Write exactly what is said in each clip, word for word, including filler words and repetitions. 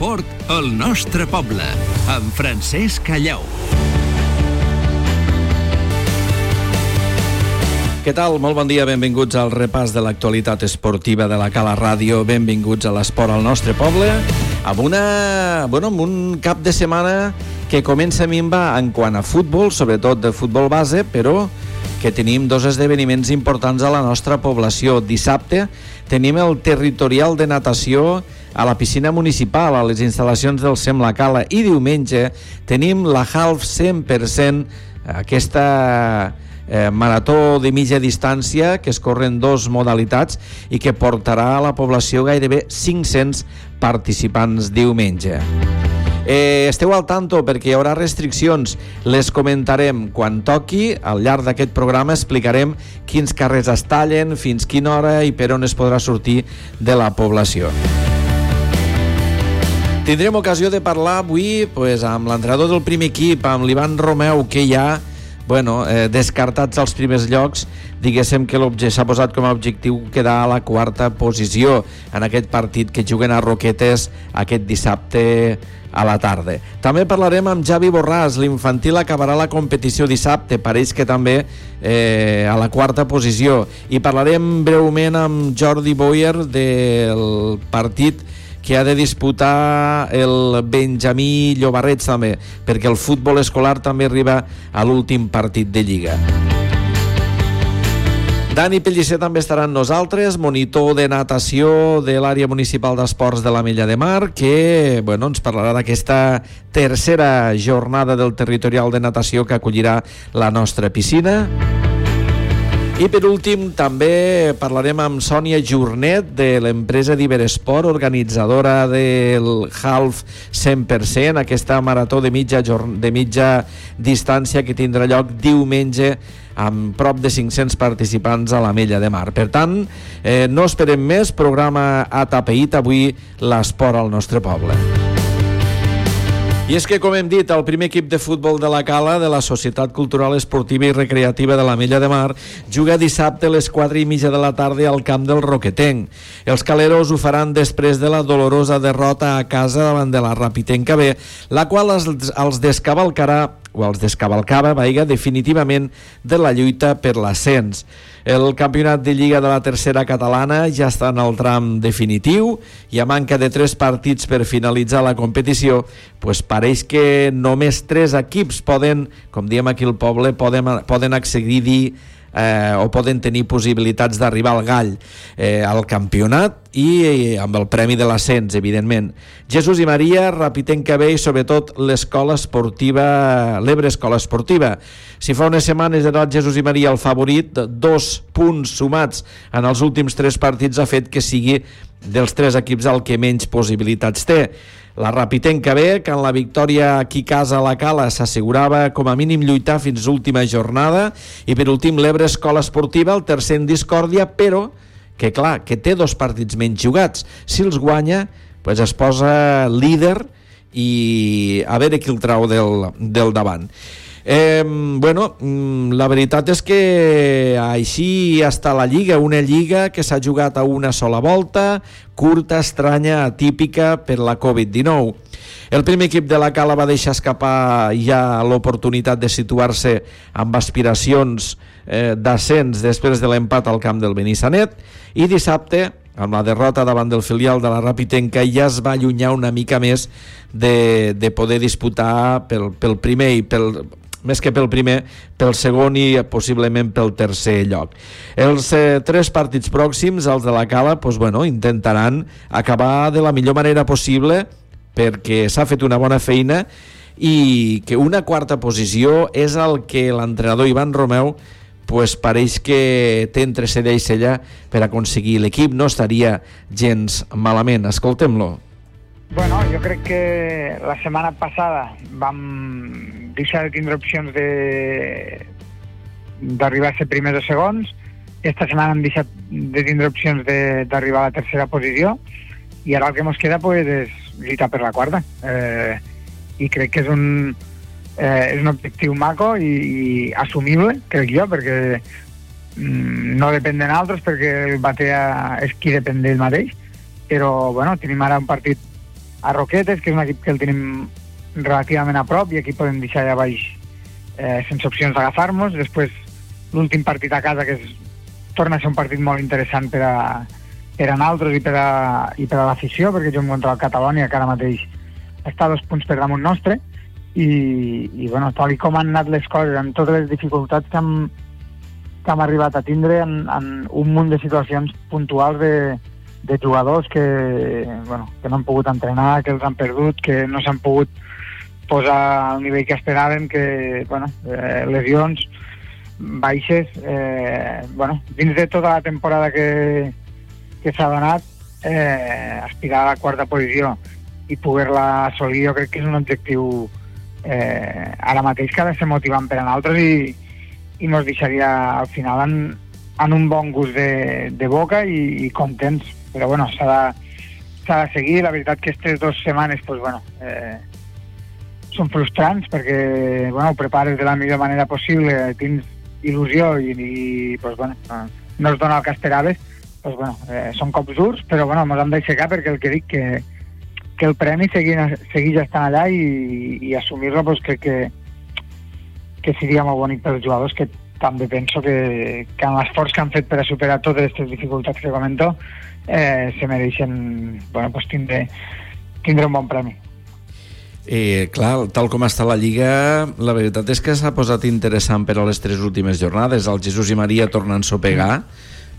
L'esport al nostre poble, amb Francesc Callau. Què tal? Molt bon dia, benvinguts al repàs de l'actualitat esportiva de la Cala Ràdio, benvinguts a l'esport al nostre poble, amb, una, bueno, amb un cap de setmana que comença a minvar en quant a futbol, sobretot de futbol base, però que tenim dos esdeveniments importants a la nostra població. Dissabte tenim el territorial de natació a la piscina municipal, a les instal·lacions del SEM La Cala, i diumenge tenim la Half cent per cent, aquesta eh, marató de mitja distància que es corren dos modalitats i que portarà a la població gairebé cinc-cents participants diumenge. Eh, esteu al tanto perquè hi haurà restriccions, les comentarem quan toqui. Al llarg d'aquest programa explicarem quins carrers es tallen, fins quina hora i per on es podrà sortir de la població. Tindrem ocasió de parlar avui pues, amb l'entrenador del primer equip, amb l'Ivan Romeu, que ja bueno, eh, descartats als primers llocs, diguéssim que s'ha posat com a objectiu quedar a la quarta posició en aquest partit que juguen a Roquetes aquest dissabte a la tarda. També parlarem amb Javi Borràs, l'infantil acabarà la competició dissabte, pareix que també eh, a la quarta posició, i parlarem breument amb Jordi Boyer del partit que ha de disputar el Benjamí Llobarrets també, perquè el futbol escolar també arriba a l'últim partit de Lliga. Dani Pellicer també estarà amb nosaltres, monitor de natació de l'àrea municipal d'esports de l'Ametlla de Mar, que bueno, ens parlarà d'aquesta tercera jornada del territorial de natació que acollirà la nostra piscina. I per últim també parlarem amb Sònia Jornet de l'empresa d'Iberesport, organitzadora del Half cent per cent, aquesta marató de mitja, de mitja distància que tindrà lloc diumenge amb prop de cinc-cents participants a l'Ametlla de Mar. Per tant, eh, no esperem més, programa atapeït avui, l'esport al nostre poble. I és que, com hem dit, el primer equip de futbol de la Cala, de la Societat Cultural Esportiva i Recreativa de l'Ametlla de Mar, juga dissabte a les quatre i mitja de la tarda al camp del Roquetenc. Els caleros ho faran després de la dolorosa derrota a casa davant de la Rapitenca B, la qual els, els descavalcarà o els descavalcava, vaiga, definitivament de la lluita per l'ascens. El campionat de Lliga de la tercera catalana ja està en el tram definitiu i a manca de tres partits per finalitzar la competició, pues pareix que només tres equips poden, com diem aquí al poble, poden, poden accedir eh, o poden tenir possibilitats d'arribar al gall eh, al campionat i eh, amb el premi de l'ascens, evidentment. Jesús i Maria, Rapitenca B i sobretot l'escola esportiva, l'Ebre Escola Esportiva. Si fa unes setmanes era el Jesús i Maria el favorit, dos punts sumats en els últims tres partits ha fet que sigui dels tres equips el que menys possibilitats té. La Rapitenca B, que en la victòria aquí a casa a la Cala s'assegurava com a mínim lluitar fins l'última jornada, i per últim l'Ebre Escola Esportiva, el tercer en discòrdia, però que clar, que té dos partits menys jugats. Si els guanya, pues es posa líder i a veure qui el trau del, del davant. Eh, bueno, la veritat és que així està la Lliga, una Lliga que s'ha jugat a una sola volta, curta, estranya, atípica per la covid dinou. El primer equip de la Cala va deixar escapar ja l'oportunitat de situar-se amb aspiracions eh, d'ascens després de l'empat al camp del Benissanet, i dissabte, amb la derrota davant del filial de la Rapitenca, ja es va allunyar una mica més de, de poder disputar pel, pel primer i pel... més que pel primer, pel segon i possiblement pel tercer lloc. Els eh, tres partits pròxims, els de la Cala, pues, bueno, intentaran acabar de la millor manera possible perquè s'ha fet una bona feina i que una quarta posició és el que l'entrenador Ivan Romeu pues, pareix que té entre cella i cella per aconseguir. L'equip no estaria gens malament. Escoltem-lo. Bueno, jo crec que la setmana passada vam deixar de tindre opcions de d'arribar a ser primers o segons. Esta setmana hem deixat de tindre opcions d'arribar a la tercera posició i ara el que ens queda pues, és lluitar per la quarta. Eh, I crec que és un, eh, és un objectiu maco i, i assumible, crec jo, perquè mm, no depèn de nosaltres, perquè el Batea és qui depèn d'ell mateix, però bueno, tenim ara un partit a Roquetes, que és un equip que el tenim relativament a prop, i aquí podem deixar allà baix eh, sense opcions d'agafar-nos. Després l'últim partit a casa, que és, torna a ser un partit molt interessant per a, per a nosaltres i per a, i per a l'afició, perquè juguem contra el Catalonia, que ara mateix està a dos punts per damunt nostre, i, i bueno, tal com han anat les coses, amb totes les dificultats que hem, que hem arribat a tindre en, en un munt de situacions puntuals de, de jugadors que, bueno, que no han pogut entrenar, que els han perdut, que no s'han pogut posar al nivell que esperàvem, que, bueno, eh, lesions baixes, eh, bueno, dins de tota la temporada que, que s'ha donat, eh, aspirar a la quarta posició i poder-la assolir, jo crec que és un objectiu eh, ara mateix que ha de ser motivant per a nosaltres i, i ens deixaria al final en, en un bon gust de, de boca i, i contents, però bueno, s'ha de, s'ha de seguir. La veritat que aquestes dues setmanes pues, bueno, eh, són frustrants perquè bueno, ho prepares de la millor manera possible, tens il·lusió i, i pues, bueno, no es dona el que esperaves, pues, bueno, eh, són cops durs, però bueno, ens hem d'aixecar perquè el que dic que, que el premi segueix, segueix estant allà i, i assumir-lo pues, crec que, que seria molt bonic pels jugadors, que també penso que, que amb l'esforç que han fet per a superar totes aquestes dificultats que comento eh, se mereixen bueno, pues, tindre, tindre un bon premi. Eh, clar, tal com està la Lliga, la veritat és que s'ha posat interessant per a les tres últimes jornades. El Jesús i Maria tornen a sopegar,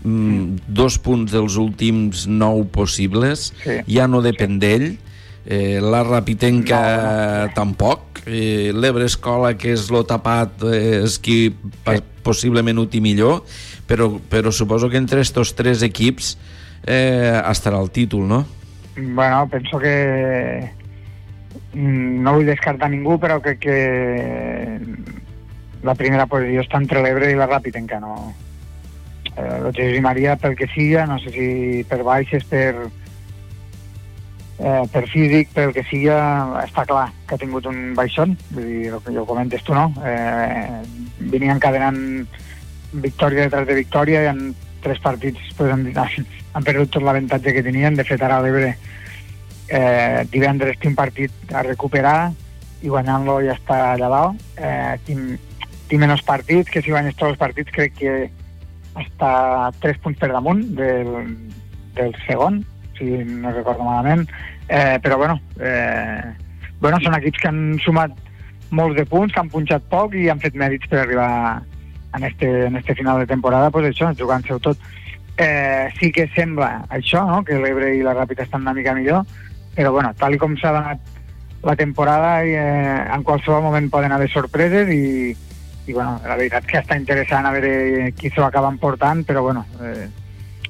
mm, dos punts dels últims nou possibles, sí. Ja no depèn sí. d'ell, eh, la Rapitenca no, no. tampoc, eh, l'Ebre Escola, que és lo tapat, eh, és qui sí. possiblement ho té millor, però, però suposo que entre estos tres equips eh, estarà el títol, no? Bueno, penso que no vull descartar ningú, però crec que la primera posició està entre l'Ebre i la Rapitenca, no? Eh, el Jesús i Maria, pel que siga, no sé si per baixes, per eh, per físic, pel que siga, està clar que ha tingut un baixón, vull dir, el que ja ho comentes tu, no? Eh, venien encadenant victòria detrás de victòria i en tres partits pues, han, han perdut tot l'avantatge que tenien. De fet, ara l'Ebre Eh, divendres té un partit a recuperar i guanyant-lo ja està allà dalt. Eh, té menys partits, que si guanyes tots els partits crec que està tres punts per damunt del, del segon, si no recordo malament, eh, però bueno, eh, bueno són equips que han sumat molts de punts, que han punxat poc i han fet mèrits per arribar en este, en este final de temporada, pues això, jugant-se-ho tot. Eh, sí que sembla això, no? Que l'Ebre i la Ràpita estan una mica millor, però bueno, tal com s'ha donat la temporada, eh, en qualsevol moment poden haver sorpreses i, i bueno, la veritat que està interessant a veure qui s'ho acaba emportant, però bueno, eh,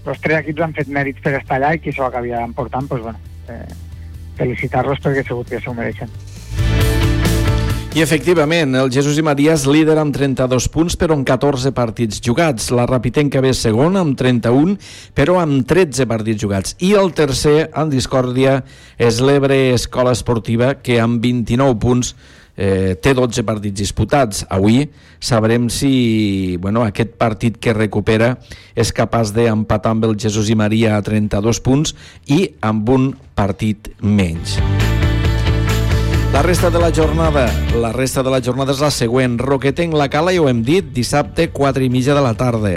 els tres equips han fet mèrits per estar allà i qui s'ho acabi emportant, doncs bueno, eh, felicitar-los perquè segur que s'ho mereixen. I efectivament, el Jesús i Maria és líder amb trenta-dos punts, però amb catorze partits jugats. La Rapitenca ve segon amb trenta-un, però amb tretze partits jugats. I el tercer, en discòrdia, és l'Ebre Escola Esportiva, que amb vint-i-nou punts eh, té dotze partits disputats. Avui sabrem si bueno, aquest partit que recupera és capaç d'empatar amb el Jesús i Maria a trenta-dos punts i amb un partit menys. La resta de la jornada, la resta de la jornada és la següent. Roquetenc, La Cala, ja ho hem dit, dissabte, quatre i mitja de la tarda.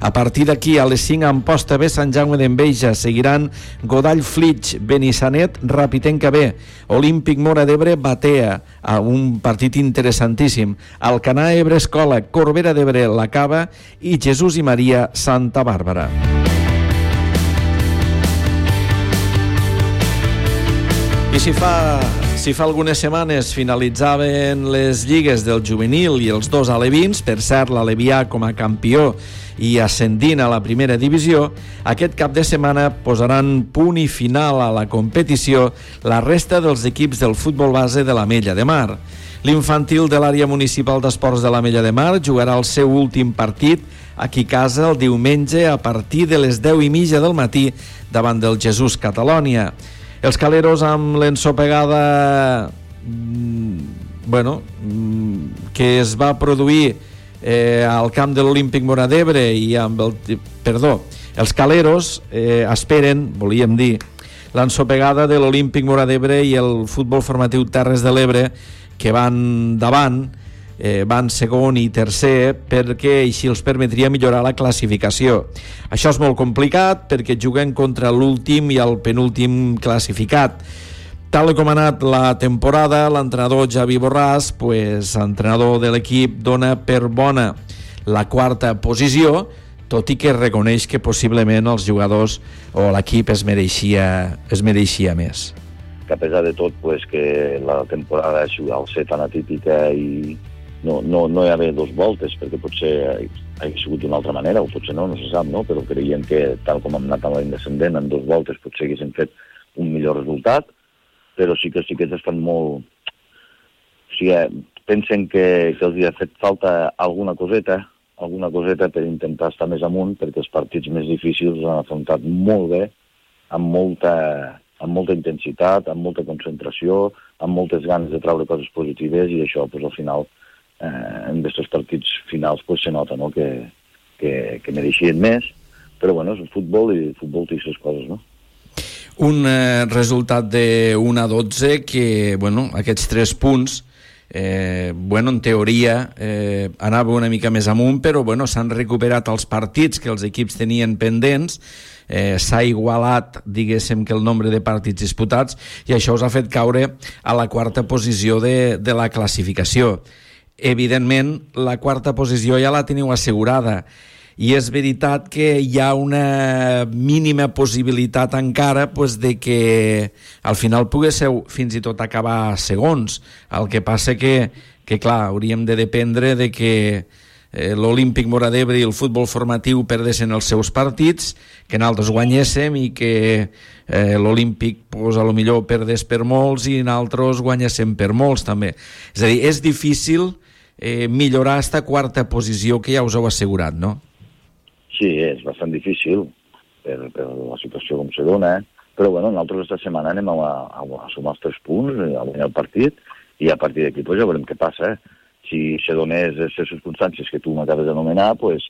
A partir d'aquí, a les cinc, Amposta B, Sant Jaume d'Enveja. Seguiran Godall, Flix, Benissanet, Rapitenca B, Olímpic Móra d'Ebre, Batea, a un partit interessantíssim. Alcanar, Ebre Escola, Corbera d'Ebre, La Cava i Jesús i Maria, Santa Bàrbara. I si fa, si fa algunes setmanes finalitzaven les lligues del juvenil i els dos alevins, per cert, l'Alevià com a campió i ascendint a la primera divisió, aquest cap de setmana posaran punt i final a la competició la resta dels equips del futbol base de l'Ametlla de Mar. L'infantil de l'àrea municipal d'esports de l'Ametlla de Mar jugarà el seu últim partit aquí a casa el diumenge a partir de les deu i mitja del matí davant del Jesús Catalonia. Els caleros amb l'ensopegada bueno, que es va produir eh, al camp de l'Olímpic Móra d'Ebre i amb el... Perdó, els caleros eh, esperen, volíem dir, l'ensopegada de l'Olímpic Móra d'Ebre i el Futbol Formatiu Terres de l'Ebre, que van davant, eh, van segon i tercer, perquè així els permetria millorar la classificació. Això és molt complicat perquè juguen contra l'últim i el penúltim classificat. Tal com ha anat la temporada, l'entrenador Javi Borràs, pues, entrenador de l'equip, dona per bona la quarta posició, tot i que reconeix que possiblement els jugadors o l'equip es mereixia, es mereixia més. Que a pesar de tot, pues, que la temporada ha sigut al ser tan atípica i no, no, no hi ha haver dos voltes, perquè potser ha sigut d'una altra manera, o potser no, no se sap, no? Però creiem que, tal com hem anat amb l'indescendent, en dos voltes potser haguéssim fet un millor resultat, però sí que sí que estan molt... O sigui, pensen que, que els hi ha fet falta alguna coseta, alguna coseta per intentar estar més amunt, perquè els partits més difícils els han afrontat molt bé, amb molta, amb molta intensitat, amb molta concentració, amb moltes ganes de treure coses positives, i això, pues, al final, eh, en aquests partits finals, pues, se nota, no?, que, que, que mereixien més, però, bueno, és un futbol, i el futbol té aquestes coses, no? Un eh, resultat de un a dotze que, bueno, aquests tres punts, eh, bueno, en teoria eh, anava una mica més amunt, però, bueno, s'han recuperat els partits que els equips tenien pendents, eh, s'ha igualat, diguéssim, que el nombre de partits disputats, i això us ha fet caure a la quarta posició de, de la classificació. Evidentment, la quarta posició ja la teniu assegurada, i és veritat que hi ha una mínima possibilitat encara, pues, de que al final poguéssiu fins i tot acabar segons. El que passa que, que clar, hauríem de dependre de que eh, l'Olímpic Móra d'Ebre i el futbol formatiu perdessin els seus partits, que nosaltres guanyéssim, i que eh, l'Olímpic, pues, a lo millor perdés per molts i nosaltres guanyéssim per molts també. És a dir, és difícil eh, millorar aquesta quarta posició que ja us heu assegurat, no? Sí, és bastant difícil per, per la situació com se dona, eh? Però bueno, nosaltres aquesta setmana anem a, a, a sumar els tres punts, a guanyar el partit, i a partir d'aquí pues, ja veurem què passa. Eh? Si se donés les circumstàncies que tu m'acabes d'anomenar, pues,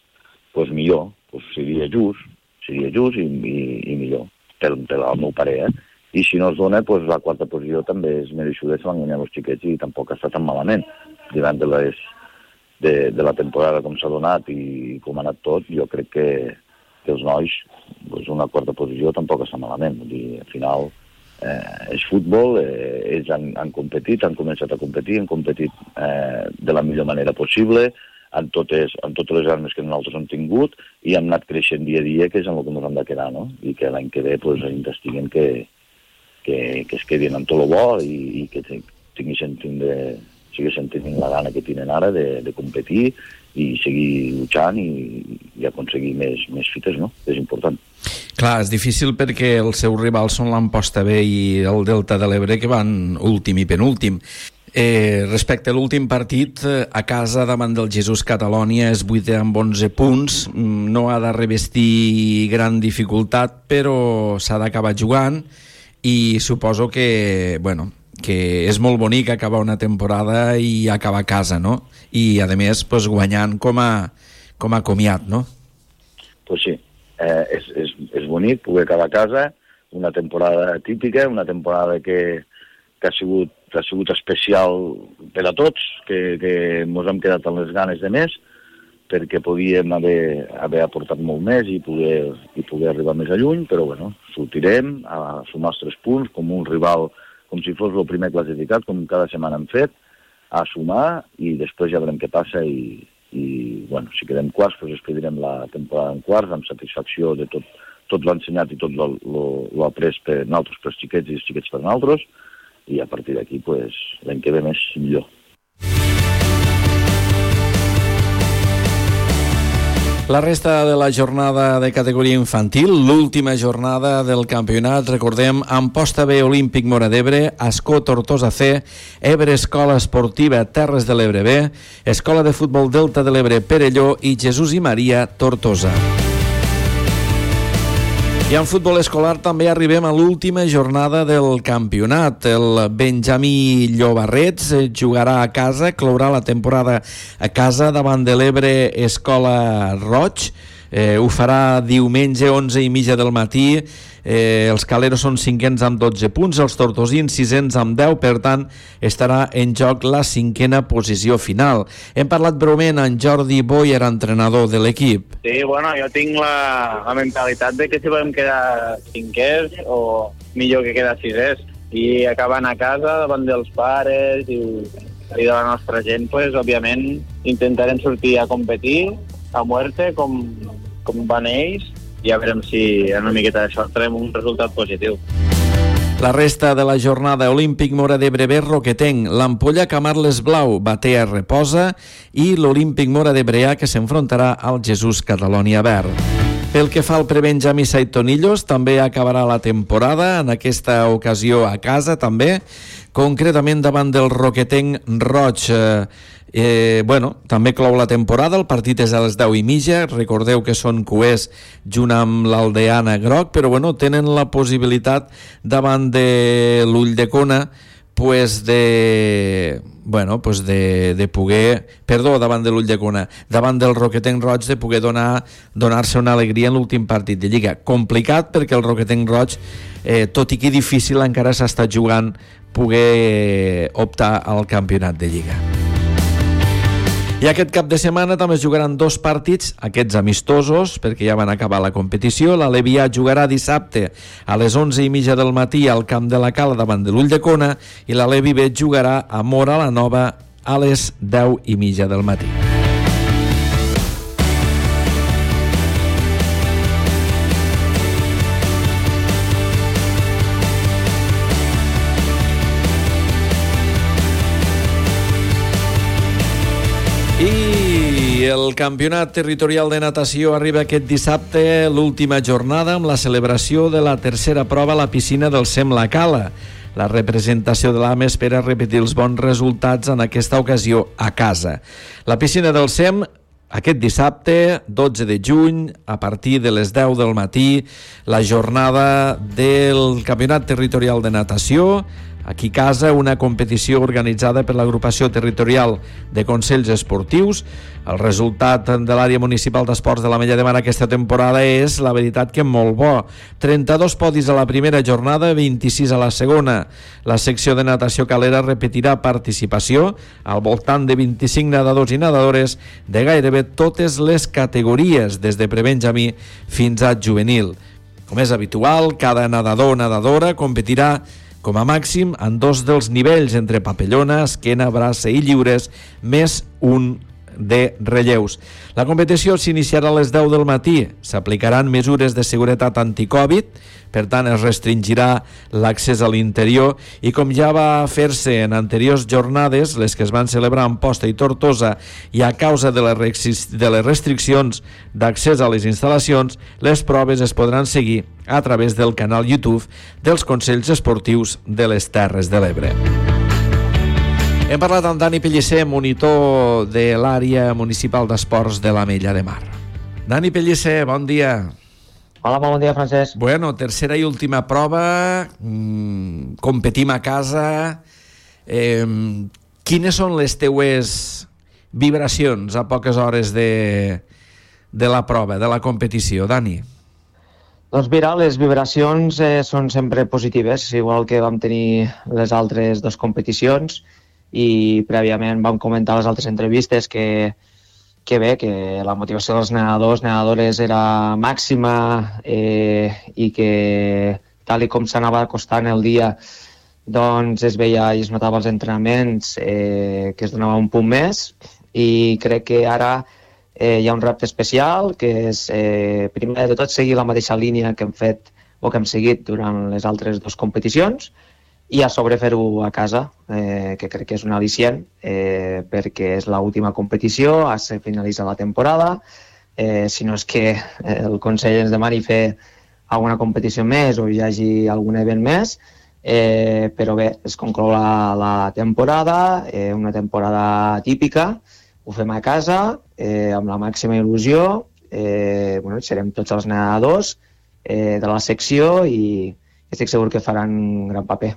pues millor, pues seria just, seria just i, i, i millor, per, per al meu parer. Eh? I si no es dona, pues, la quarta posició també és mereixuda, se van guanyar els xiquets i tampoc està tan malament. Davant de les... De, de la temporada com s'ha donat i com ha anat tot, jo crec que, que els nois, doncs una quarta posició tampoc està malament. Vull dir, al final eh, és futbol, eh, ells han, han competit, han començat a competir, han competit eh, de la millor manera possible, amb totes, amb totes les armes que nosaltres hem tingut, i hem anat creixent dia a dia, que és en el que ens hem de quedar, no? I que l'any que ve pues, investiguen que, que, que es quedin amb tot el bo i, i que tinguin tindre... siguessin tenint la gana que tenen ara de, de competir i seguir luchant i, i aconseguir més, més fites, no? És important. Clar, és difícil perquè els seus rivals són l'Amposta B i el Delta de l'Ebre, que van últim i penúltim. Eh, respecte a l'últim partit, a casa davant del Jesús Catalònia és vuitè amb onze punts, no ha de revestir gran dificultat, però s'ha d'acabar jugant, i suposo que, bueno, que és molt bonic acabar una temporada i acabar a casa, no? I, a més, pues, guanyant com a, com a comiat, no? Pues sí, eh, és, és, és bonic poder acabar a casa, una temporada típica, una temporada que, que ha, sigut, ha sigut especial per a tots, que, que ens hem quedat amb les ganes de més, perquè podíem haver, haver aportat molt més i poder, i poder arribar més a lluny, però bueno, sortirem a sumar els tres punts com un rival, com si fos el primer classificat, com cada setmana hem fet, a sumar, i després ja veurem què passa, i, i bueno, si quedem quarts, doncs expedirem la temporada en quarts, amb satisfacció de tot, tot l'ensenyat i tot l'après per nosaltres, per els xiquets i els xiquets per nosaltres, i a partir d'aquí, pues, l'any que ve més millor. La resta de la jornada de categoria infantil, l'última jornada del campionat, recordem, Amposta B, Olímpic Móra d'Ebre, Ascó Tortosa C, Ebre Escola Esportiva Terres de l'Ebre B, Escola de Futbol Delta de l'Ebre Perelló i Jesús i Maria Tortosa. I en futbol escolar també arribem a l'última jornada del campionat. El Benjamí Llobarrets jugarà a casa, clourà la temporada a casa davant de l'Ebre Escola Roig. Eh, ho farà diumenge, onze i mitja del matí. Eh, els caleros són cinquens amb dotze punts, els tortosins sisens amb deu, per tant estarà en joc la cinquena posició final. Hem parlat breument amb Jordi Boyer, entrenador de l'equip. Sí, bueno, jo tinc la, la mentalitat de que si podem quedar cinquers o millor que quedar sisers, i acabant a casa davant dels pares i, i de la nostra gent, pues, òbviament intentarem sortir a competir a muerte com, com van ells, i ja veurem si en una miqueta de sort tenim un resultat positiu. La resta de la jornada: Olímpic Móra d'Ebre B, Roquetenc, l'Ampolla Camarles Blau, Batea reposa, i l'Olímpic Móra d'Ebre A, que s'enfrontarà al Jesús Catalonia Verd. Pel que fa al prebenjamí Saitonillos, també acabarà la temporada, en aquesta ocasió a casa també, concretament davant del Roquetenc Roig. Eh, bueno, també clou la temporada, el partit és a les deu i mitja, recordeu que són cuers junt amb l'Aldeana Groc, però bueno, tenen la possibilitat davant de l'Ulldecona pues de bueno, pues de, de poder, perdó, davant de l'Ulldecona, davant del Roquetenc Roig, de poder donar donar-se una alegria en l'últim partit de Lliga. Complicat perquè el Roquetenc Roig, eh, tot i que difícil, encara s'està jugant poder optar al campionat de Lliga. I aquest cap de setmana també es jugaran dos partits, aquests amistosos, perquè ja van acabar la competició. La Levià jugarà dissabte a les onze i mitja del matí al Camp de la Cala davant de l'Ulldecona, i la Levi B jugarà a Móra la Nova a les deu i mitja del matí. I el campionat territorial de natació arriba aquest dissabte, l'última jornada, amb la celebració de la tercera prova a la piscina del SEM La Cala. La representació de l'A M E espera repetir els bons resultats en aquesta ocasió a casa. La piscina del SEM aquest dissabte, dotze de juny, a partir de les deu del matí, la jornada del campionat territorial de natació. Aquí a casa, una competició organitzada per l'agrupació territorial de consells esportius. El resultat de l'àrea municipal d'esports de l'Ametlla de Mar aquesta temporada és, la veritat, que molt bo. trenta-dos podis a la primera jornada, vint-i-sis a la segona. La secció de natació calera repetirà participació al voltant de vint-i-cinc nedadors i nedadores de gairebé totes les categories, des de prebenjamí fins a juvenil. Com és habitual, cada nedador o nedadora competirà com a màxim en dos dels nivells, entre papellona, esquena, braça i lliures, més un de relleus. La competició s'iniciarà a les deu del matí. S'aplicaran mesures de seguretat anticovid, per tant es restringirà l'accés a l'interior, i com ja va fer-se en anteriors jornades, les que es van celebrar a Amposta i Tortosa, i a causa de les, de les restriccions d'accés a les instal·lacions, les proves es podran seguir a través del canal YouTube dels Consells Esportius de les Terres de l'Ebre. Hem parlat amb Dani Pellicer, monitor de l'àrea municipal d'esports de l'Ametlla de Mar. Dani Pellicer, bon dia. Hola, bon dia, Francesc. Bueno, tercera i última prova, mmm, competim a casa. Eh, quines són les teues vibracions a poques hores de, de la prova, de la competició, Dani? Doncs mira, les vibracions eh, són sempre positives, igual que vam tenir les altres dues competicions, i prèviament vam comentar a les altres entrevistes que, que bé, que la motivació dels nedadors, nedadores era màxima, eh, i que tal i com s'anava acostant el dia, doncs es veia i es notava als entrenaments eh, que es donava un punt més, i crec que ara eh, hi ha un repte especial, que és eh, primer de tot seguir la mateixa línia que hem fet o que hem seguit durant les altres dues competicions, i a sobre fer-ho a casa, eh, que crec que és un al·licient, eh, perquè és l'última competició, se finalitza la temporada, eh, si no és que el Consell ens demani fer alguna competició més o hi hagi algun event més, eh, però bé, es conclou la, la temporada, eh, una temporada típica, ho fem a casa, eh, amb la màxima il·lusió, eh, bueno, serem tots els nedadors eh, de la secció, i estic segur que faran un gran paper.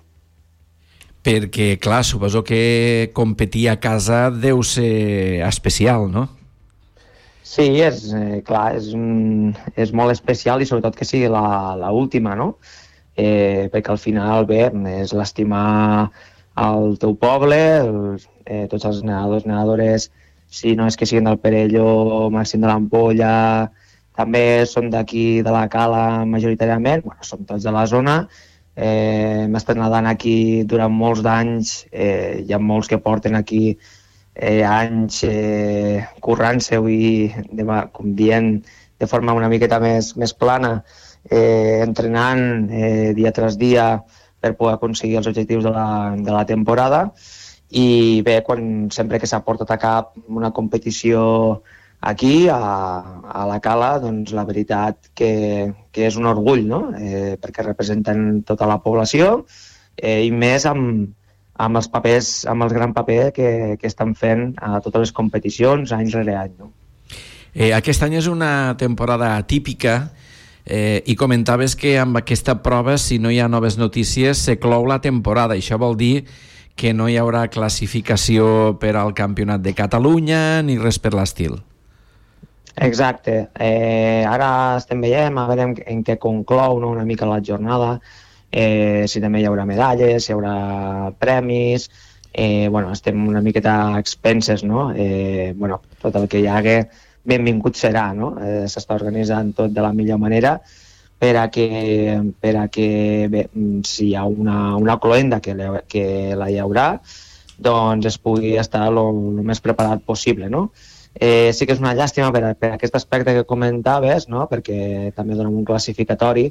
Perquè, clar, suposo que competir a casa deu ser especial, no? Sí, és eh, clar, és, un, és molt especial i sobretot que sigui la, la última, no? Eh, perquè al final, bé, és l'estimar el teu poble, els, eh, tots els nedadors, nedadores, si no és que siguin del Perelló, Màxim de l'Ampolla, també són d'aquí de la Cala majoritàriament, bueno, som tots de la zona, eh, hem estat nedant aquí durant molts d'anys, eh, hi ha molts que porten aquí eh, anys eh, currant-se-ho i de, com dient de forma una miqueta més, més plana, eh, entrenant eh, dia tras dia per poder aconseguir els objectius de la, de la temporada. I bé, quan, sempre que s'ha portat a cap una competició aquí, a, a la Cala, doncs la veritat que, que és un orgull, no? Eh, perquè representen tota la població eh, i més amb, amb els papers, amb el gran paper que, que estan fent a totes les competicions any rere any, no? Eh, aquest any és una temporada atípica eh, i comentaves que amb aquesta prova, si no hi ha noves notícies, se clou la temporada. Això vol dir que no hi haurà classificació per al Campionat de Catalunya ni res per l'estil. Exacte. Eh, ara estem veient, a veure en què conclou, no, una mica la jornada, eh, si també hi haurà medalles, si hi haurà premis, eh, bueno, estem una miqueta a expenses, no? Eh, bueno, tot el que hi hagi, benvingut serà, no? Eh, s'està organitzant tot de la millor manera per a que, per a que bé, si hi ha una, una cloenda que, le, que la hi haurà, doncs es pugui estar el més preparat possible, no? Eh, sí que és una llàstima per, per aquest aspecte que comentaves, no? Perquè també donem un classificatori,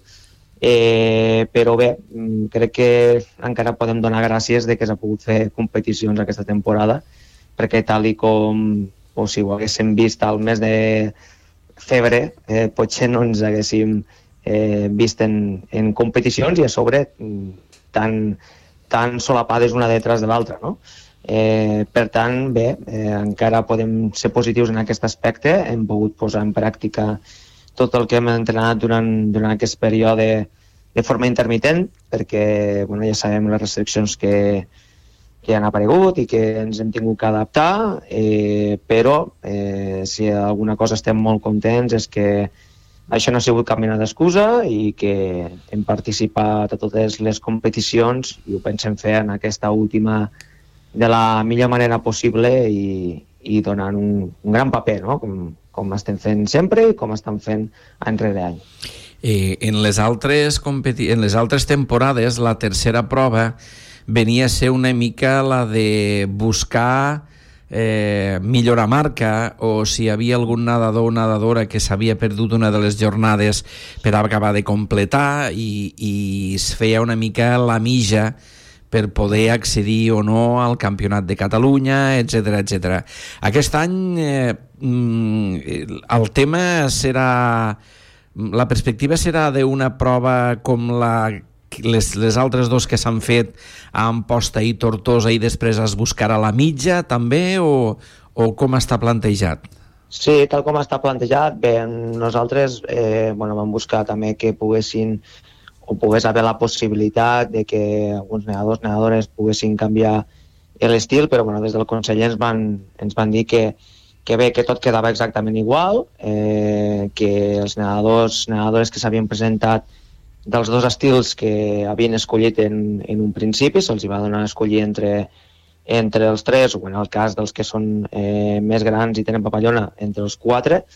eh, però bé, crec que encara podem donar gràcies de que s'ha pogut fer competicions aquesta temporada, perquè tal i com o si ho haguéssim vist al mes de febrer, eh, potser no ens haguéssim eh, vist en, en competicions i a sobre tan, tan solapades una detrás de l'altra, no? Eh, per tant, bé, eh, encara podem ser positius en aquest aspecte. Hem pogut posar en pràctica tot el que hem entrenat durant, durant aquest període de forma intermitent, perquè bueno, ja sabem les restriccions que, que han aparegut i que ens hem tingut que adaptar, eh, però eh, si alguna cosa estem molt contents és que això no ha sigut cap mena d'excusa i que hem participat a totes les competicions i ho pensem fer en aquesta última de la millor manera possible i, i donant un, un gran paper, no? com, com estem fent sempre i com estan fent any rere any. Eh, en, les altres competi- en les altres temporades, la tercera prova venia a ser una mica la de buscar eh, millorar marca, o si hi havia algun nedador o nedadora que s'havia perdut una de les jornades per acabar de completar i, i es feia una mica la mija per poder accedir o no al Campionat de Catalunya, etcètera, etcètera. Aquest any eh, el tema serà... La perspectiva serà d'una prova com la, les, les altres dos que s'han fet a Amposta i Tortosa i després es buscarà la mitja també, o, o com està plantejat? Sí, tal com està plantejat. Bé, nosaltres eh, bueno, vam buscar també que poguessin o pogués haver la possibilitat de que alguns nedadors, nedadores poguessin canviar l'estil, però bueno, des del Consell ens van, ens van dir que, que bé, que tot quedava exactament igual, eh, que els nedadors, nedadores que s'havien presentat dels dos estils que havien escollit en, en un principi, se'ls va donar a escollir entre, entre els tres, o en el cas dels que són eh, més grans i tenen papallona, entre els quatre,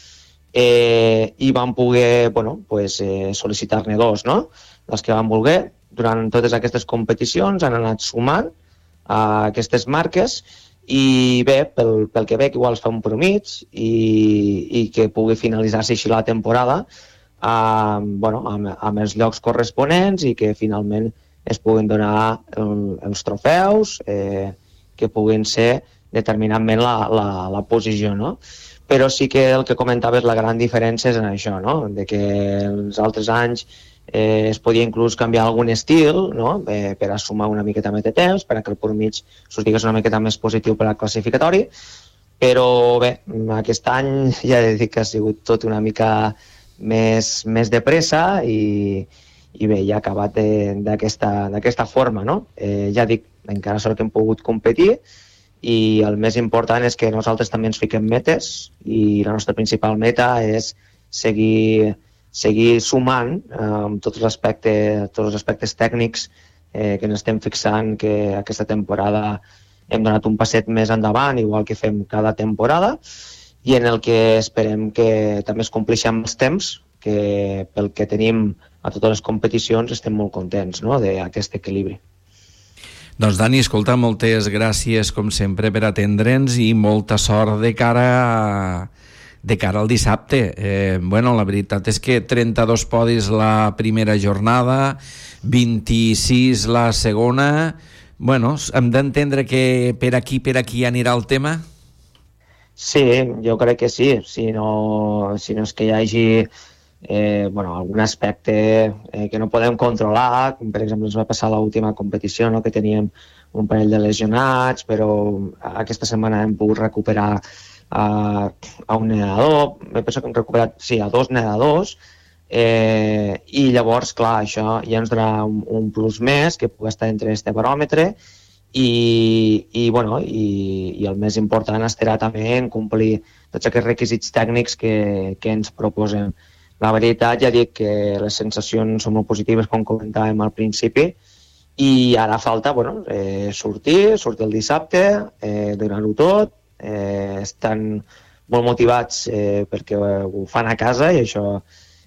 eh, i van poder bueno, pues, eh, sol·licitar-ne dos, no? Els que van voler, durant totes aquestes competicions han anat sumant a aquestes marques i bé, pel, pel que veig igual es fa un promig i, i que pugui finalitzar-se així la temporada amb, bueno, amb, amb els llocs corresponents i que finalment es puguin donar el, els trofeus eh, que puguin ser determinantment la, la, la posició, no? Però sí que el que comentaves, la gran diferència és en això, no? De que els altres anys Eh, es podia inclús canviar algun estil, no? eh, per a sumar una miqueta més de temps, per a que el pur mig s'ho digués una miqueta més positiu per al classificatori, però bé, aquest any ja he de dir que ha sigut tot una mica més, més de pressa i, i bé, ja ha acabat d'aquesta forma, no? Eh, ja dic, encara sort que hem pogut competir i el més important és que nosaltres també ens fiquem metes i la nostra principal meta és seguir, seguir sumant eh, amb tots els aspectes, tots els aspectes tècnics eh, que ens estem fixant, que aquesta temporada hem donat un passet més endavant, igual que fem cada temporada, i en el que esperem que també es compleixi amb els temps, que pel que tenim a totes les competicions estem molt contents, no?, d'aquest equilibri. Doncs Dani, escolta, moltes gràcies com sempre per atendre'ns i molta sort de cara a, de cara al dissabte. Eh, bueno, la veritat és que trenta-dos podis la primera jornada, vint-i-sis la segona. Bueno, hem d'entendre que per aquí, per aquí anirà el tema? Sí, jo crec que sí. Si no, si no és que hi hagi Eh, bueno, algun aspecte eh, que no podem controlar, com per exemple ens va passar a l'última competició, no?, que teníem un parell de lesionats, però aquesta setmana hem pogut recuperar a, a un nedador, me penso que hem recuperat, sí, a dos nedadors, eh, i llavors, clar, això ja ens donarà un, un plus més que pugui estar entre este baròmetre i, i, bueno, i, i el més important estarà també en complir tots aquests requisits tècnics que, que ens proposem. La veritat, ja dic que les sensacions són molt positives, com comentàvem al principi, i ara falta bueno, eh, sortir, sortir el dissabte, eh, donar-ho tot, eh, estan molt motivats eh, perquè ho fan a casa i això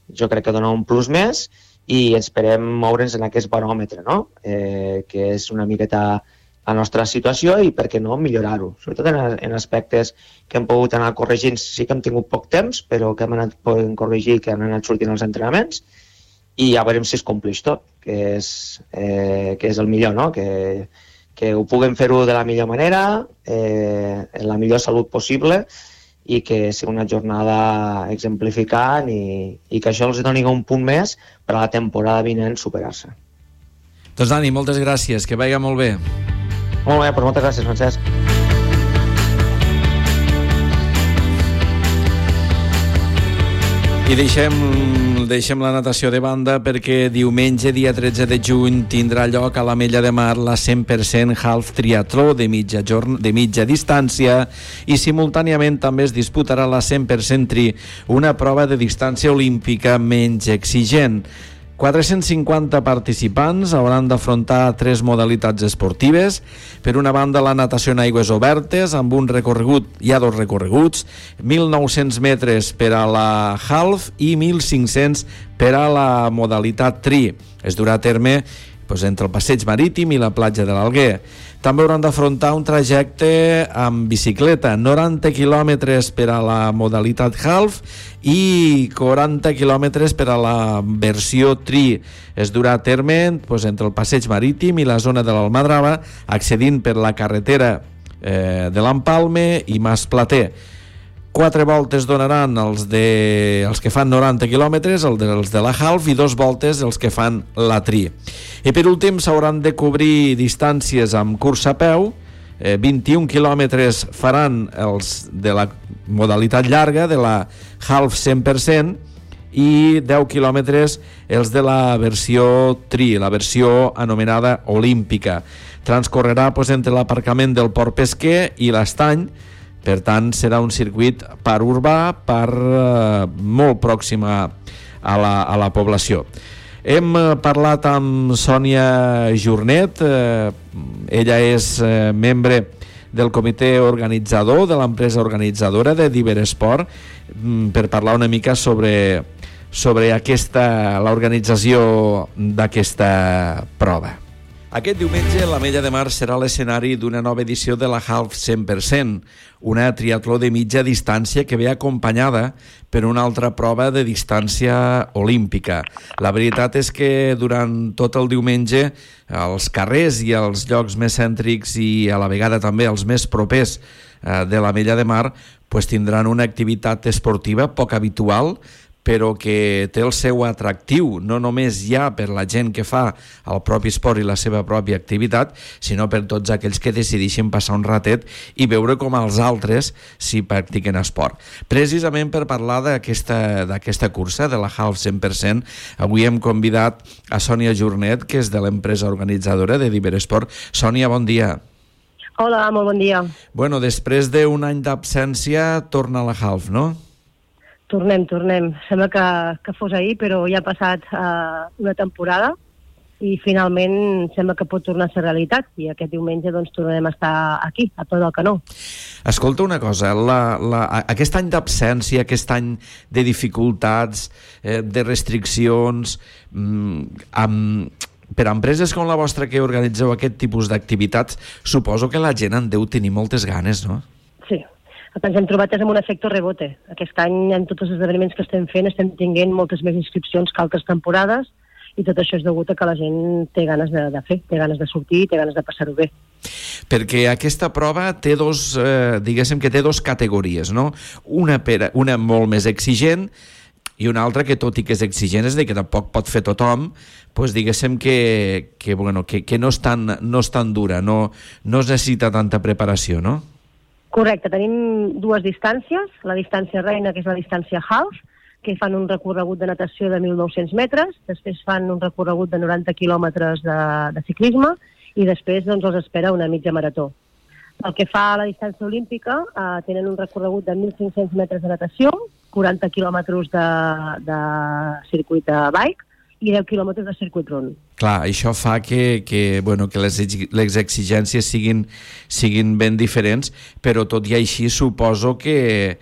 jo crec que dona un plus més i esperem moure'ns en aquest baròmetre, no? eh, que és una miqueta la nostra situació i, per què no, millorar-ho. Sobretot en, en aspectes que hem pogut anar corregint. Sí que hem tingut poc temps, però que hem anat podent corregir, que han anat sortint els entrenaments, i ja veurem si es compleix tot, que és, eh, que és el millor, no? Que, que ho puguem fer-ho de la millor manera, eh, en la millor salut possible, i que sigui una jornada exemplificant i, i que això els doni un punt més per a la temporada vinent superar-se. Doncs Dani, moltes gràcies, que vagi molt bé. Molt bé, doncs moltes gràcies, Francesc. I deixem, deixem la natació de banda perquè diumenge, dia tretze de juny, tindrà lloc a l'Ametlla de Mar la cent per cent half triatló de mitja, jorn... de mitja distància i simultàniament també es disputarà la cent per cent tri, una prova de distància olímpica menys exigent. quatre-cents cinquanta participants hauran d'afrontar tres modalitats esportives. Per una banda, la natació en aigües obertes, amb un recorregut, hi ha dos recorreguts, mil nou-cents metres per a la half i mil cinc-cents per a la modalitat tri. Es durà a terme doncs, entre el passeig marítim i la platja de l'Alguer. També hauran d'afrontar un trajecte amb bicicleta, noranta quilòmetres per a la modalitat half i quaranta quilòmetres per a la versió tri. Es durà a terme doncs, entre el passeig marítim i la zona de l'Almadrava, accedint per la carretera eh, de l'Empalme i Mas Plater. Quatre voltes donaran els, de, els que fan noranta quilòmetres, els de, els de la half, i dos voltes els que fan la tri. I per últim s'hauran de cobrir distàncies amb cursa a peu, eh, vint-i-un quilòmetres faran els de la modalitat llarga, de la half cent per cent, i deu quilòmetres els de la versió tri, la versió anomenada olímpica. Transcorrerà doncs, entre l'aparcament del Port Pesquer i l'Estany. Per tant, serà un circuit per urbà, per eh, molt pròxim a, a, la, a la població. Hem parlat amb Sònia Jornet, eh, ella és eh, membre del comitè organitzador de l'empresa organitzadora de Diveresport, per parlar una mica sobre, sobre aquesta, l'organització d'aquesta prova. Aquest diumenge l'Ametlla de Mar serà l'escenari d'una nova edició de la Half cent per cent, una triatló de mitja distància que ve acompanyada per una altra prova de distància olímpica. La veritat és que durant tot el diumenge els carrers i els llocs més cèntrics i a la vegada també els més propers de l'Ametlla de Mar pues, tindran una activitat esportiva poc habitual, però que té el seu atractiu, no només ja per la gent que fa el propi esport i la seva pròpia activitat, sinó per tots aquells que decideixen passar un ratet i veure com els altres s'hi practiquen esport. Precisament per parlar d'aquesta d'aquesta cursa, de la Half cent per cent, avui hem convidat a Sònia Jornet, que és de l'empresa organitzadora de Diveresport. Sònia, bon dia. Hola, molt bon dia. Bueno, després d'un any d'absència, torna a la Half, no? Tornem, tornem. Sembla que, que fos ahir, però ja ha passat uh, una temporada i finalment sembla que pot tornar a ser realitat i aquest diumenge doncs tornarem a estar aquí, a tot el canó. Escolta una cosa, la, la, aquest any d'absència, aquest any de dificultats, eh, de restriccions, mm, amb, per a empreses com la vostra que organitzeu aquest tipus d'activitats, suposo que la gent en deu tenir moltes ganes, no? Sí. El que ens hem trobat és amb un efecte rebote. Aquest any, en tots els esdeveniments que estem fent, estem tinguent moltes més inscripcions que altres temporades i tot això és degut a que la gent té ganes de, de fer, té ganes de sortir, té ganes de passar-ho bé. Perquè aquesta prova té dos, eh, diguéssim que té dos categories, no? Una, per, una molt més exigent i una altra que, tot i que és exigent, és de que tampoc pot fer tothom, pues diguéssim que, que, bueno, que, que no, és tan, no és tan dura, no, no es necessita tanta preparació, no? Correcte, tenim dues distàncies, la distància reina, que és la distància half, que fan un recorregut de natació de mil nou-cents metres, després fan un recorregut de noranta quilòmetres de, de ciclisme i després doncs, els espera una mitja marató. El que fa a la distància olímpica, eh, tenen un recorregut de mil cinc-cents metres de natació, quaranta quilòmetres de, de circuit de bike i deu quilòmetres de circuit run. Clar, això fa que, que, bueno, que les, les exigències siguin, siguin ben diferents, però tot i així suposo que,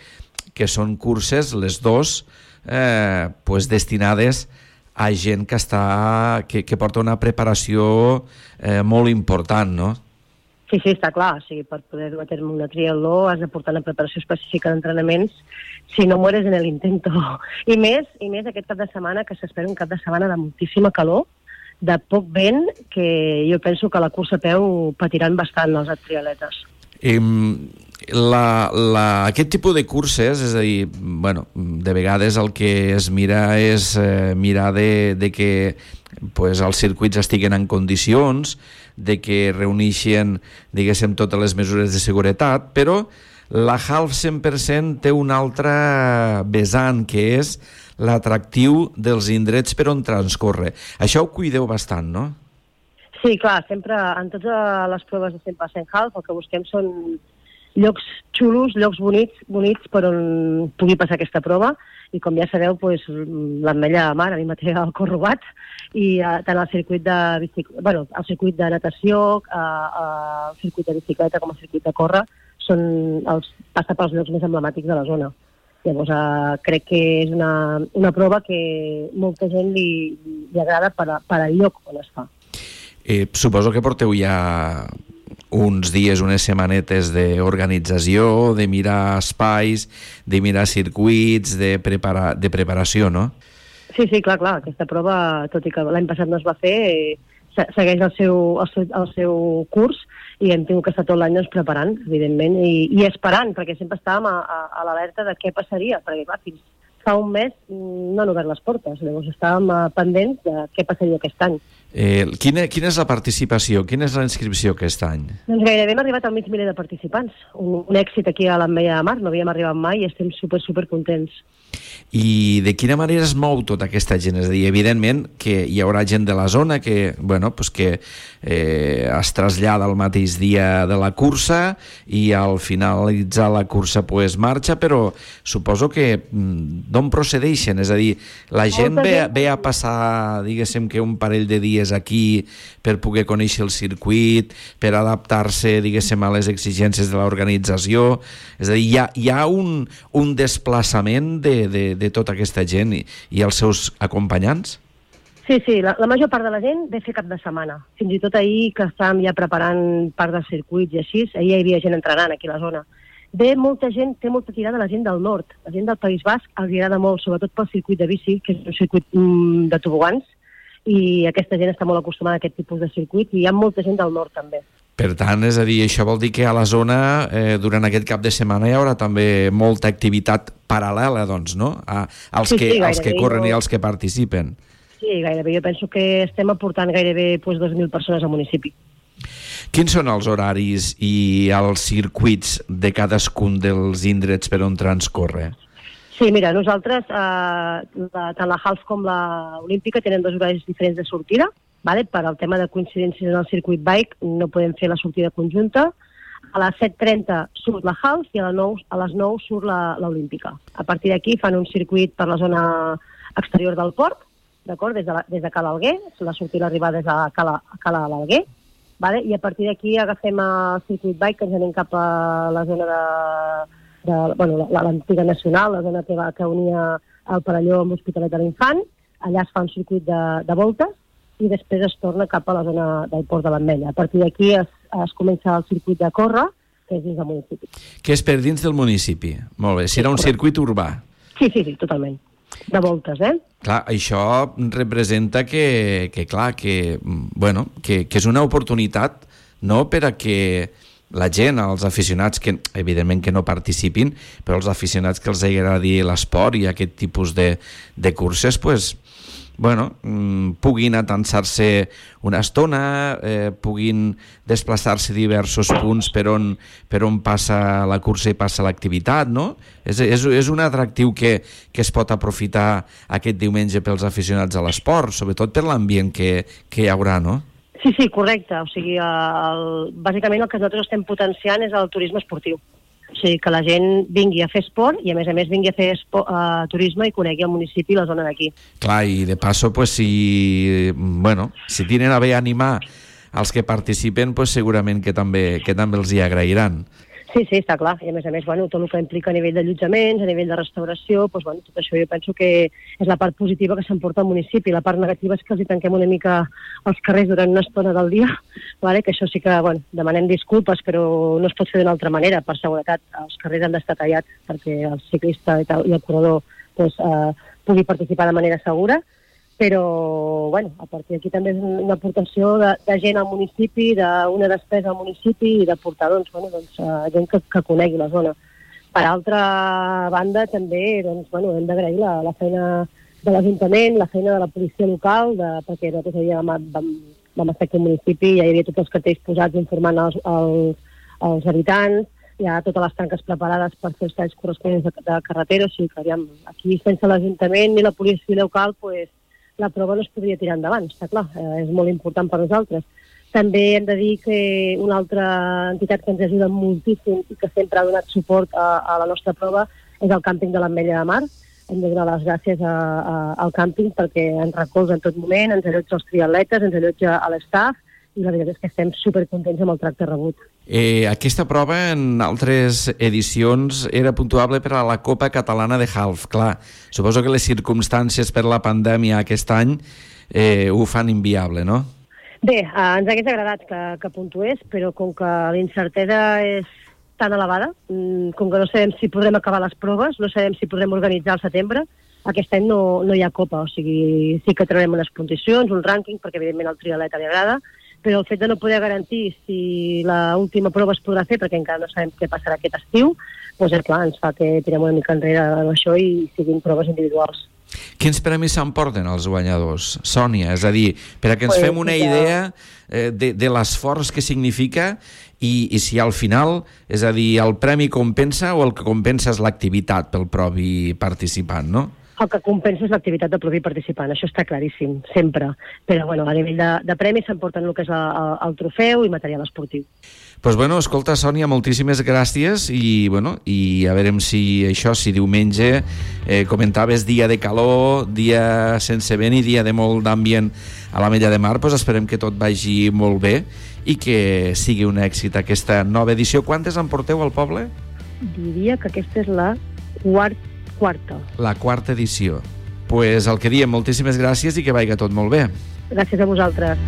que són curses, les dos, eh, pues destinades a gent que, està, que, que porta una preparació eh, molt important, no? Sí, sí, està clar. O sigui, per poder dur a terme una triatló has de portar una preparació específica d'entrenaments, si no mueres en el intento. I més, i més aquest cap de setmana, que s'espera un cap de setmana de moltíssima calor, de poc vent, que jo penso que la cursa a peu patiran bastant els triatletes. Eh, la, la, aquest tipus de curses, és a dir, bueno, de vegades el que es mira és eh, mirar de, de que pues, els circuits estiguen en condicions, de que reuneixen, diguéssim, totes les mesures de seguretat, però la Half cent per cent té un altre vessant, que és l'atractiu dels indrets per on transcorre. Això ho cuideu bastant, no? Sí, clar, sempre, en totes les proves de cent per cent Half, el que busquem són llocs xulos, llocs bonics, bonics per on pugui passar aquesta prova, i com ja sabeu, pues, l'Ametlla de Mar, a mi mateix el corrobat, i uh, tant el circuit de bicicleta, bueno, el circuit de natació, uh, uh, el circuit de bicicleta com el circuit de córrer, són els, passa pels llocs més emblemàtics de la zona. Llavors, uh, crec que és una, una prova que molta gent li, li agrada per, a, per al lloc on es fa. Eh, suposo que porteu ja uns dies, unes setmanetes d'organització, de mirar espais, de mirar circuits, de, prepara, de preparació, no? Sí, sí, clar, clar. Aquesta prova, tot i que l'any passat no es va fer, eh, segueix el seu, el, seu, el seu curs i hem tingut que estar tot l'any doncs, preparant, evidentment, i, i esperant, perquè sempre estàvem a, a, a l'alerta de què passaria, perquè clar, fins fa un mes no han obert les portes, llavors estàvem pendents de què passaria aquest any. Eh, quina, quina és la participació? Quina és la inscripció aquest any? Doncs gairebé hem arribat al mig miler de participants. Un, un èxit aquí a l'Ametlla de Mar, no havíem arribat mai i estem super, super contents. I de quina manera es mou tota aquesta gent? És a dir, evidentment que hi haurà gent de la zona que, bueno, pues que eh, es trasllada el mateix dia de la cursa i al finalitzar la cursa pues, marxa, però suposo que d'on procedeixen? És a dir, la gent ve, ve a passar, diguéssim, que un parell de dies aquí per poder conèixer el circuit, per adaptar-se, diguéssim, a les exigències de l'organització. És a dir, hi ha, hi ha un, un desplaçament de De, de tota aquesta gent i, i els seus acompanyants? Sí, sí, la, la major part de la gent ve fer cap de setmana. Fins i tot ahir, que estàvem ja preparant part dels circuits i així, ahir hi havia gent entrenant aquí a la zona. Ve molta gent, té molta tirada la gent del nord. La gent del País Basc els agrada molt, sobretot pel circuit de bici, que és un circuit mm, de tobogans, i aquesta gent està molt acostumada a aquest tipus de circuit, i hi ha molta gent del nord també. Per tant, és a dir, això vol dir que a la zona, eh, durant aquest cap de setmana, hi haurà també molta activitat paral·lela, doncs, no? A, als, sí, que, sí, als que corren jo... i als que participen. Sí, gairebé. Jo penso que estem aportant gairebé pues, dos mil persones al municipi. Quins són els horaris i els circuits de cadascun dels indrets per on transcorre? Sí, mira, nosaltres, eh, la, tant la Half com la Olímpica tenen dos horaris diferents de sortida. Vale? Per al tema de coincidències en el circuit bike no podem fer la sortida conjunta. a les set trenta surt la half i a les nou, a les nou surt la, l'olímpica. A partir d'aquí fan un circuit per la zona exterior del port, d'acord? Des de, la, des de Cala Alguer, la sortida i l'arribada des de Cala, Cala l'Alguer, vale? I a partir d'aquí agafem el circuit bike que ens anem cap a la zona de, de bueno, l'antiga nacional, la zona que, va, que unia el Parelló amb l'Hospitalet de l'Infant. Allà es fa un circuit de, de voltes i després es torna cap a la zona del Port de l'Ametlla. A partir d'aquí es, es comença el circuit de córrer, que és dins del municipi. Que és per dins del municipi. Molt bé, serà un circuit urbà. Sí, sí, sí, totalment. De voltes, eh? Clar, això representa que, que clar, que, bueno, que, que és una oportunitat, no?, per a que la gent, els aficionats, que evidentment que no participin, però els aficionats que els agradi l'esport i aquest tipus de, de curses, pues, bueno, puguin atansar-se una estona, eh, puguin desplaçar-se diversos punts per on, per on passa la cursa i passa l'activitat, no? És, és, és un atractiu que, que es pot aprofitar aquest diumenge pels aficionats a l'esport, sobretot per l'ambient que, que hi haurà, no? Sí, sí, correcte. O sigui, el, bàsicament el que nosaltres estem potenciant és el turisme esportiu. O sigui, que la gent vingui a fer esport i, a més a més, vingui a fer esport, uh, turisme i conegui el municipi i la zona d'aquí. Clar, i de passo, pues, si, bueno, si tenen a bé animar els que participen, pues, segurament que també, que també els hi agrairan. Sí, sí, està clar. I, a més a més, bueno, tot el que implica a nivell d'allotjaments, a nivell de restauració, doncs, bueno, tot això jo penso que és la part positiva que s'emporta al municipi. La part negativa és que els hi tanquem una mica els carrers durant una estona del dia, vale? Que això sí que, bueno, demanem disculpes, però no es pot fer d'una altra manera. Per seguretat, els carrers han d'estar tallats perquè el ciclista i el corredor doncs, eh, pugui participar de manera segura. Però, bueno, a partir d'aquí també és una aportació de, de gent al municipi, d'una despesa al municipi i de portar, doncs, bueno, doncs, uh, gent que, que conegui la zona. Per altra banda, també, doncs, bueno, hem d'agrair la, la feina de l'Ajuntament, la feina de la policia local, de, perquè nosaltres ja vam, vam, vam estar aquí al municipi, ja hi havia tots els cartells posats informant els, els, els habitants, hi ha totes les tanques preparades per fer els talls corresponents de, de carretera, o sigui que, aviam, aquí sense l'Ajuntament ni la policia local, pues, la prova no es podria tirar endavant, està clar, eh, és molt important per nosaltres. També hem de dir que una altra entitat que ens ajuda moltíssim i que sempre ha donat suport a, a la nostra prova és el càmping de l'Ametlla de Mar. Hem de donar les gràcies a, a, al càmping perquè ens recolza en tot moment, ens allotja els triatletes, ens allotja a l'estaf i la veritat és que estem supercontents amb el tracte rebut. Eh, aquesta prova en altres edicions era puntuable per a la Copa Catalana de Half. Clar, suposo que les circumstàncies per la pandèmia aquest any eh, ho fan inviable, no? Bé, eh, ens hagués agradat que, que puntués, però com que la incertesa és tan elevada, com que no sabem si podrem acabar les proves, no sabem si podrem organitzar al setembre, aquest any no, no hi ha Copa, o sigui, sí que traurem unes condicions, un rànquing, perquè evidentment al triatleta li agrada, però el fet de no poder garantir si l'última prova es podrà fer, perquè encara no sabem què passarà aquest estiu, doncs és clar, ens fa que tirem una mica enrere això i siguin proves individuals. Quins premis s'emporten els guanyadors, Sònia? És a dir, per a que ens pues, fem una ja... idea eh, de, de l'esforç que significa i, i si al final, és a dir, el premi compensa o el que compensa és l'activitat pel propi participant, no? El que compensa és l'activitat del propi participant, això està claríssim, sempre. Però bueno, a nivell de, de premis s'emporten el que és el, el trofeu i material esportiu. Doncs pues bueno, escolta, Sònia, moltíssimes gràcies i, bueno, i a veure si això, si diumenge eh, comentaves dia de calor, dia sense vent i dia de molt d'ambient a l'Ametlla de Mar, doncs esperem que tot vagi molt bé i que sigui un èxit aquesta nova edició. Quantes en porteu al poble? Diria que aquesta és la quarta quarta. La quarta edició. Pues el que diem, moltíssimes gràcies i que vagi tot molt bé. Gràcies a vosaltres.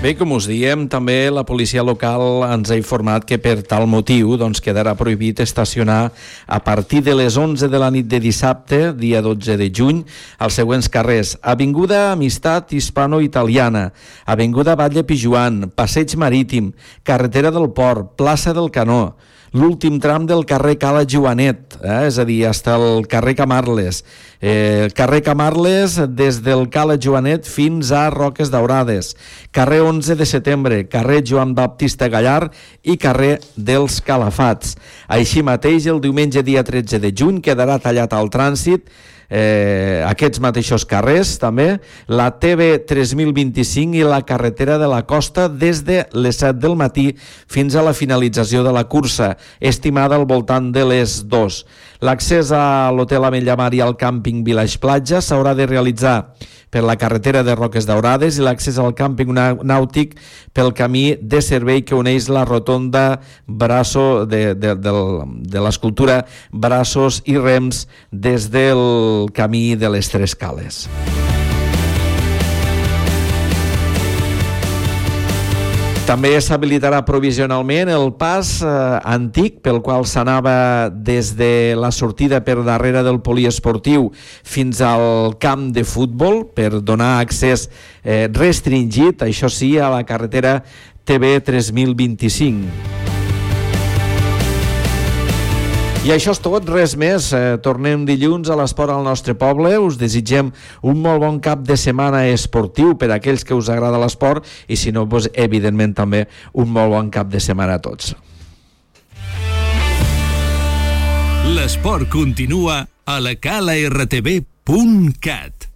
Bé, com us diem, també la policia local ens ha informat que per tal motiu doncs, quedarà prohibit estacionar a partir de les onze de la nit de dissabte, dia dotze de juny, als següents carrers: Avinguda Amistat Hispano-Italiana, Avinguda Batlle Pijuan, Passeig Marítim, Carretera del Port, Plaça del Canó, l'últim tram del carrer Cala Joanet, eh? És a dir, fins al carrer Camarles, eh, carrer Camarles des del Cala Joanet fins a Roques Daurades, carrer onze de setembre, carrer Joan Baptista Gallar i carrer dels Calafats. Així mateix, el diumenge dia tretze de juny quedarà tallat al trànsit eh, aquests mateixos carrers també, la T B tres mil vint-i-cinc i la carretera de la Costa des de les set del matí fins a la finalització de la cursa, estimada al voltant de les dues. L'accés a l'Hotel Ametlla Mar i al càmping Village Platja s'haurà de realitzar per la carretera de Roques Daurades i l'accés al càmping nàutic pel camí de servei que uneix la rotonda braço de, de, de, de l'escultura Braços i Rems des del camí de les Tres Cales. També s'habilitarà provisionalment el pas eh, antic pel qual s'anava des de la sortida per darrere del poliesportiu fins al camp de futbol per donar accés eh, restringit, això sí, a la carretera T B tres mil vint-i-cinc. I això és tot, res més. Eh, tornem dilluns a l'Esport al nostre poble. Us desitgem un molt bon cap de setmana esportiu per a aquells que us agrada l'esport i si no, doncs, evidentment també un molt bon cap de setmana a tots. L'esport continua a la cala r t v punt cat.